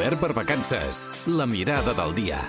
Obert per vacances. La mirada del dia.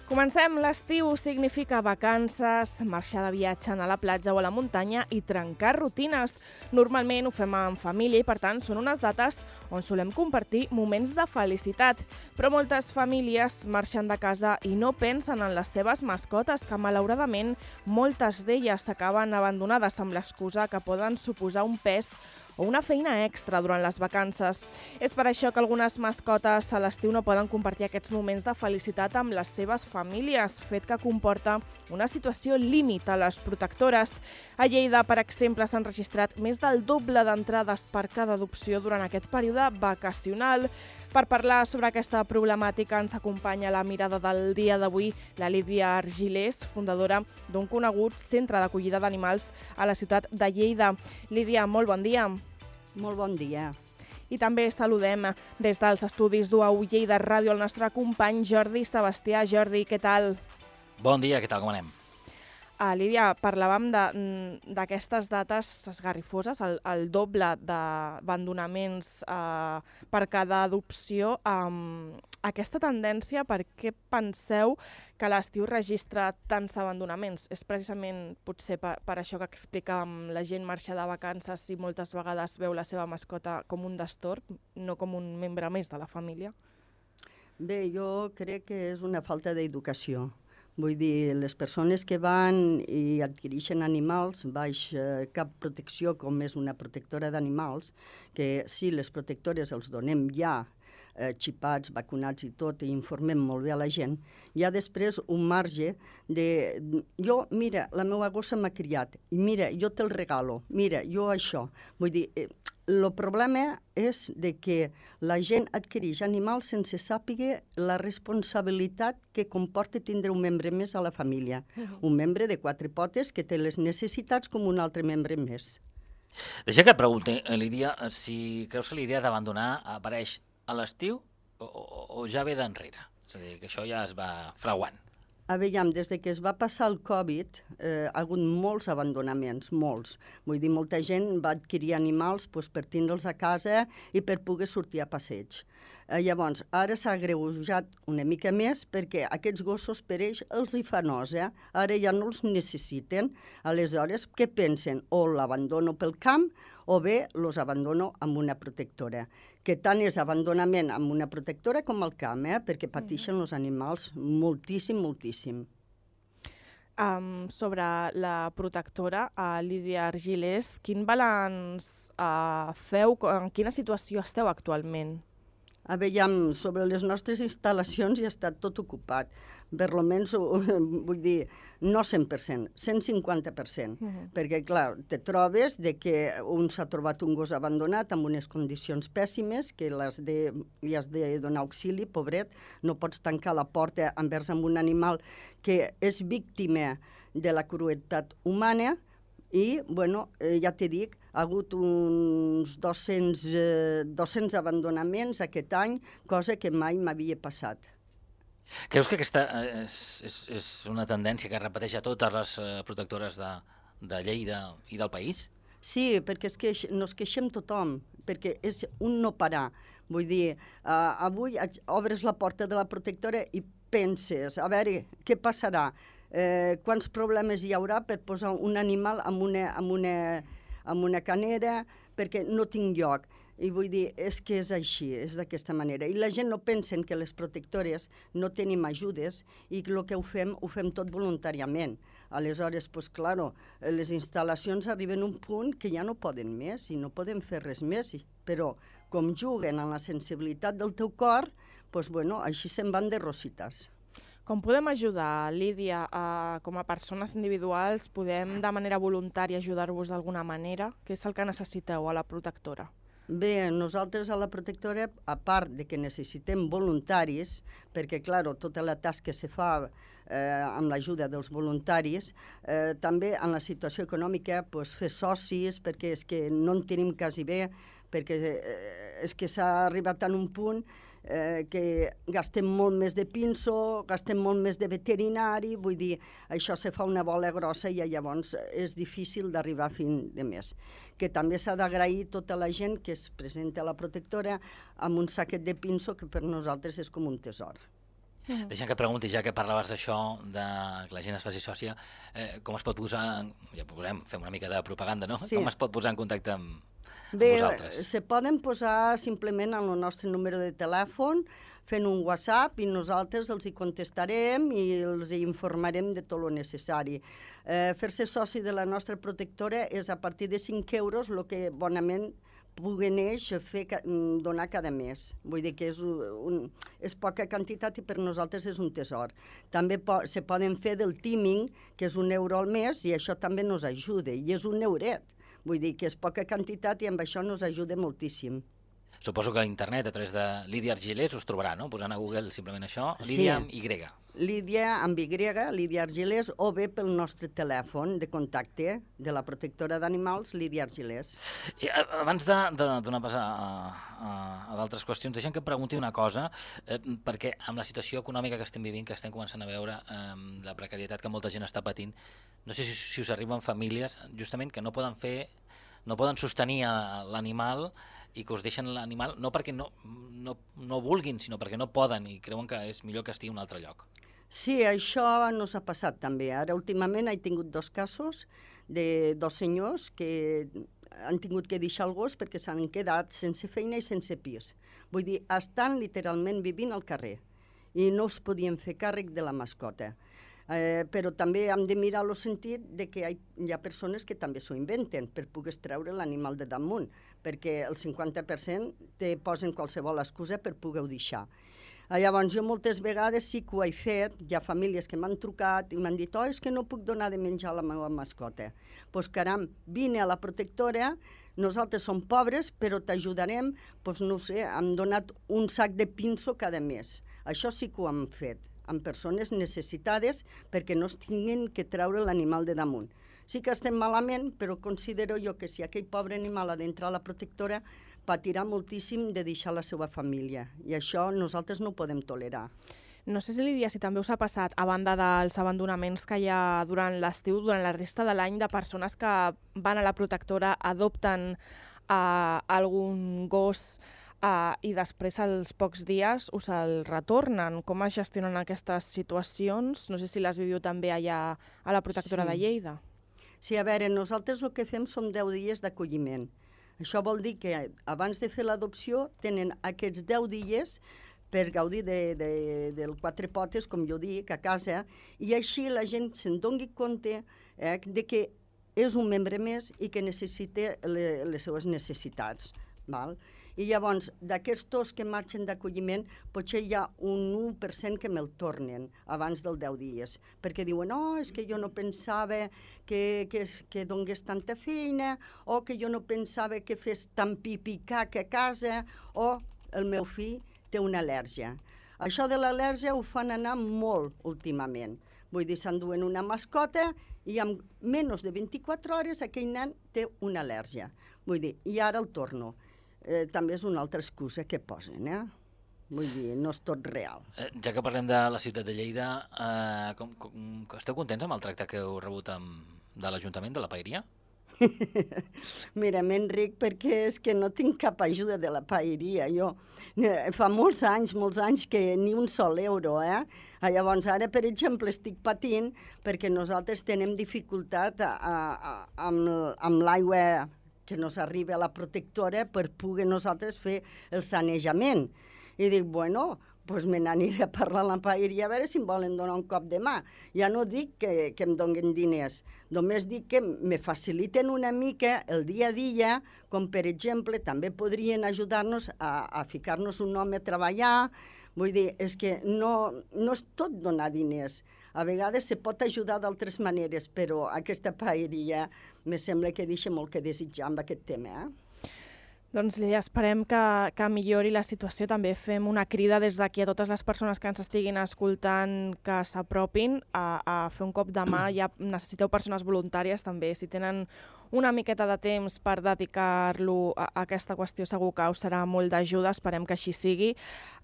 Comencem. L'estiu significa vacances, marxar de viatge, anar a la platja o a la muntanya i trencar rutines. Normalment ho fem en família i, per tant, són unes dates on solem compartir moments de felicitat. Però moltes famílies marxen de casa i no pensen en les seves mascotes, que malauradament moltes d'elles s'acaben abandonades amb l'excusa que poden suposar un pes o una feina extra durant les vacances. És per això que algunes mascotes a l'estiu no poden compartir aquests moments de felicitat amb les seves famílies, fet que comporta una situació límit a les protectores. A Lleida, per exemple, s'han registrat més del doble d'entrades per cada adopció durant aquest període vacacional. Per parlar sobre aquesta problemàtica ens acompanya la mirada del dia d'avui la Lídia Argilés, fundadora d'un conegut centre d'acollida d'animals a la ciutat de Lleida. Lídia, molt bon dia. Molt bon dia. I també saludem des dels estudis d'UAU Lleida Ràdio el nostre company Jordi Sebastià. Jordi, què tal? Bon dia, què tal, com anem? Lídia, parlàvem d'aquestes dates esgarrifoses, el doble d'abandonaments per cada adopció. Aquesta tendència, per què penseu que l'estiu registra tants abandonaments? És precisament potser per això que explicàvem, la gent marxa de vacances i moltes vegades veu la seva mascota com un destorb, no com un membre més de la família? Bé, jo crec que és una falta d'educació. Vull dir, les persones que van i adquireixen animals baix cap protecció, com és una protectora d'animals, que sí, les protectores els donem ja xipats, vacunats i tot, i informem molt bé a la gent, hi ha després un marge de... Jo, mira, la meva gossa m'ha criat, i mira, jo te'l regalo, mira, jo això. Vull dir, el problema és de que la gent adquireix animals sense sàpiga la responsabilitat que comporta tindre un membre més a la família. Un membre de 4 potes que té les necessitats com un altre membre més. Deixa que et pregunti, Lídia, si creus que l'idea d'abandonar apareix a l'estiu o ja ve d'enrere? És a dir, que això ja es va fraguant. Aviam, des que es va passar el Covid, ha hagut molts abandonaments, molts. Vull dir, molta gent va adquirir animals per tindre'ls a casa i per poder sortir a passeig. Llavors, ara s'ha agreujat una mica més perquè aquests gossos per ells els hi fa nosa, ara ja no els necessiten. Aleshores, què pensen? O l'abandono pel camp o bé els abandono amb una protectora. Que tant és abandonament amb una protectora com al camp, perquè pateixen els animals moltíssim, moltíssim. Sobre la protectora, Lídia Argilés, quin balanç feu? En quina situació esteu actualment? Aviam, sobre les nostres instal·lacions ja està tot ocupat. Per almenys, vull dir, no 100%, 150%. Perquè, clar, te trobes que un s'ha trobat un gos abandonat amb unes condicions pèssimes, que li has de donar auxili, pobret. No pots tancar la porta envers amb un animal que és víctima de la crueltat humana. I, bueno, ja t'he dit, ha hagut uns 200 abandonaments aquest any, cosa que mai m'havia passat. Creus que aquesta és una tendència que es repeteix a totes les protectores de Lleida i del país? Sí, perquè nos queixem tothom, perquè és un no parar. Vull dir, avui obres la porta de la protectora i penses, a veure, què passarà? Quants problemes hi haurà per posar un animal en una canera perquè no tinc lloc. I vull dir, és que és així, és d'aquesta manera. I la gent no pensa que les protectores no tenim ajudes i el que ho fem tot voluntàriament. Aleshores, doncs, clar, les instal·lacions arriben a un punt que ja no poden més i no poden fer res més. Però, com juguen amb la sensibilitat del teu cor, doncs, bueno, així se'n van de rosites. Com podem ajudar, Lídia? Com a persones individuals, podem de manera voluntària ajudar-vos d'alguna manera? Què és el que necessiteu a la protectora? Bé, nosaltres a la protectora, a part de que necessitem voluntaris, perquè, clar, tota la tasca se fa amb l'ajuda dels voluntaris, també en la situació econòmica fer socis, perquè és que no en tenim quasi bé, perquè és que s'ha arribat a un punt que gastem molt més de pinso, gastem molt més de veterinari, vull dir, això se fa una bola grossa i llavors és difícil d'arribar a fin de mes. Que també s'ha d'agrair tota la gent que es presenta a la protectora amb un saquet de pinso que per nosaltres és com un tesor. Deixa'm que et pregunti, ja que parlaves d'això, de que la gent es faci sòcia, com es pot posar, ja fem una mica de propaganda, no? Sí. Com es pot posar en contacte amb Bé, vosaltres? se poden posar simplement en el nostre número de telèfon, fent un WhatsApp, i nosaltres els hi contestarem i els hi informarem de tot el necessari. Fer-se soci de la nostra protectora és a partir de 5 euros el que bonament puguen ells donar cada mes. Vull dir que és poca quantitat i per nosaltres és un tesor. També se poden fer del teaming, que és 1 euro al mes, i això també nos ajuda, i és 1 euret. Vull dir que és poca quantitat i amb això nos ajuda moltíssim. Suposo que a internet, a través de Lídia Argilés, us trobarà, no? Posant a Google simplement això, Sí. Lídia amb Y. Lídia amb Y, Lídia Argilés, o bé pel nostre telèfon de contacte de la protectora d'animals, Lídia Argilés. I abans de donar pas a d'altres qüestions, deixa'm que et pregunti una cosa, perquè amb la situació econòmica que estem vivint, que estem començant a veure, la precarietat que molta gent està patint, no sé si us arriben famílies justament que no poden sostenir l'animal i que us deixen l'animal no perquè no vulguin, sinó perquè no poden i creuen que és millor que estigui en un altre lloc. Sí, això no s'ha passat també. Ara últimament he tingut 2 casos de 2 senyors que han tingut que deixar el gos perquè s'han quedat sense feina i sense pis. Vull dir, estan literalment vivint al carrer i no es podien fer càrrec de la mascota. Però també hem de mirar el sentit de que hi ha persones que també s'ho inventen per poder treure l'animal de damunt, perquè el 50% te posen qualsevol excusa per poder-ho deixar. Llavors, jo moltes vegades sí que ho he fet, hi ha famílies que m'han trucat i m'han dit és que no puc donar de menjar a la meva mascota. Doncs caram, vine a la protectora, nosaltres som pobres, però t'ajudarem, doncs no sé, hem donat un sac de pinso cada mes. Això sí que ho hem fet, amb persones necessitades perquè no es tinguin que treure l'animal de damunt. Sí que estem malament, però considero jo que si aquell pobre animal ha d'entrar a la protectora patirà moltíssim de deixar la seva família, i això nosaltres no ho podem tolerar. No sé si, Lídia, si també us ha passat, a banda dels abandonaments que hi ha durant l'estiu, durant la resta de l'any, de persones que van a la protectora, adopten algun gos i després, als pocs dies, us el retornen. Com es gestionen aquestes situacions? No sé si les viviu també allà a la protectora de Lleida. Sí, a veure, nosaltres el que fem són 10 dies d'acolliment. Això vol dir que abans de fer l'adopció tenen aquests 10 dies per gaudir del 4 potes, com jo dic, a casa, i així la gent se'n doni compte de que és un membre més i que necessita les seues necessitats. Val? I llavors, d'aquests 2 que marxen d'acolliment, potser hi ha un 1% que me'l tornen abans dels 10 dies, perquè diuen, és que jo no pensava que donés tanta feina, o que jo no pensava que fes tant pipicac a casa, o el meu fill té una al·lèrgia. Això de l'al·lèrgia ho fan anar molt últimament. Vull dir, s'enduen una mascota i en menys de 24 hores aquell nen té una al·lèrgia. Vull dir, i ara el torno. També és una altra excusa que posen, Vull dir, no és tot real. Ja que parlem de la ciutat de Lleida, esteu contents amb el tracte que heu rebut de l'Ajuntament, de la Paeria? Mira, m'enric perquè és que no tinc cap ajuda de la Paeria. Jo fa molts anys que ni un sol euro, Llavors, ara, per exemple, estic patint perquè nosaltres tenim dificultat amb l'aigua que nos arriba a la protectora per poder nosaltres fer el sanejament. I dic, doncs me n'aniré a parlar a la Paeria a veure si em volen donar un cop de mà. Ja no dic que em donin diners, només dic que me faciliten una mica el dia a dia, com per exemple també podrien ajudar-nos a ficar-nos un home a treballar. Vull dir, és que no és tot donar diners. A vegades se pot ajudar d'altres maneres, però aquesta Paeria me sembla que deixa molt que desitjar amb aquest tema. Doncs, Lídia, esperem que millori la situació. També fem una crida des d'aquí a totes les persones que ens estiguin escoltant que s'apropin a fer un cop de mà. Ja necessiteu persones voluntàries també. Si tenen una miqueta de temps per dedicar-lo a aquesta qüestió segur que us serà molt d'ajuda, esperem que així sigui.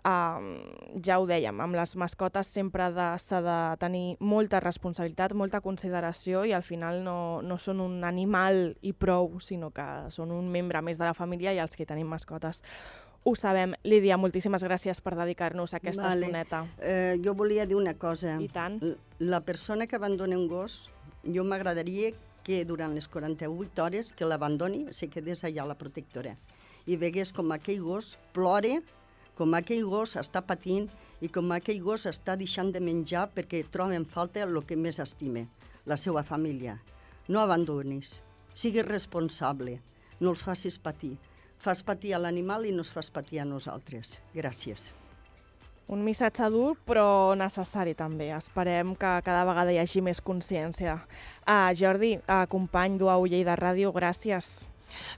Ja ho dèiem, amb les mascotes sempre s'ha de tenir molta responsabilitat, molta consideració i al final no són un animal i prou, sinó que són un membre més de la família i els que tenim mascotes ho sabem. Lídia, moltíssimes gràcies per dedicar-nos a aquesta estoneta. Jo volia dir una cosa. I tant. La persona que abandona un gos, jo m'agradaria que durant les 48 hores que l'abandoni se quedés allà a la protectora i vegués com aquell gos plora, com aquell gos està patint i com aquell gos està deixant de menjar perquè troba en falta el que més estime, la seva família. No abandonis, sigues responsable, no els facis patir. Fas patir a l'animal i no es fas patir a nosaltres. Gràcies. Un missatge dur, però necessari també. Esperem que cada vegada hi hagi més consciència. Jordi, company d'UAU Lleida Ràdio, gràcies.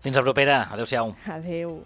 Fins la propera. Adéu-siau. Adéu.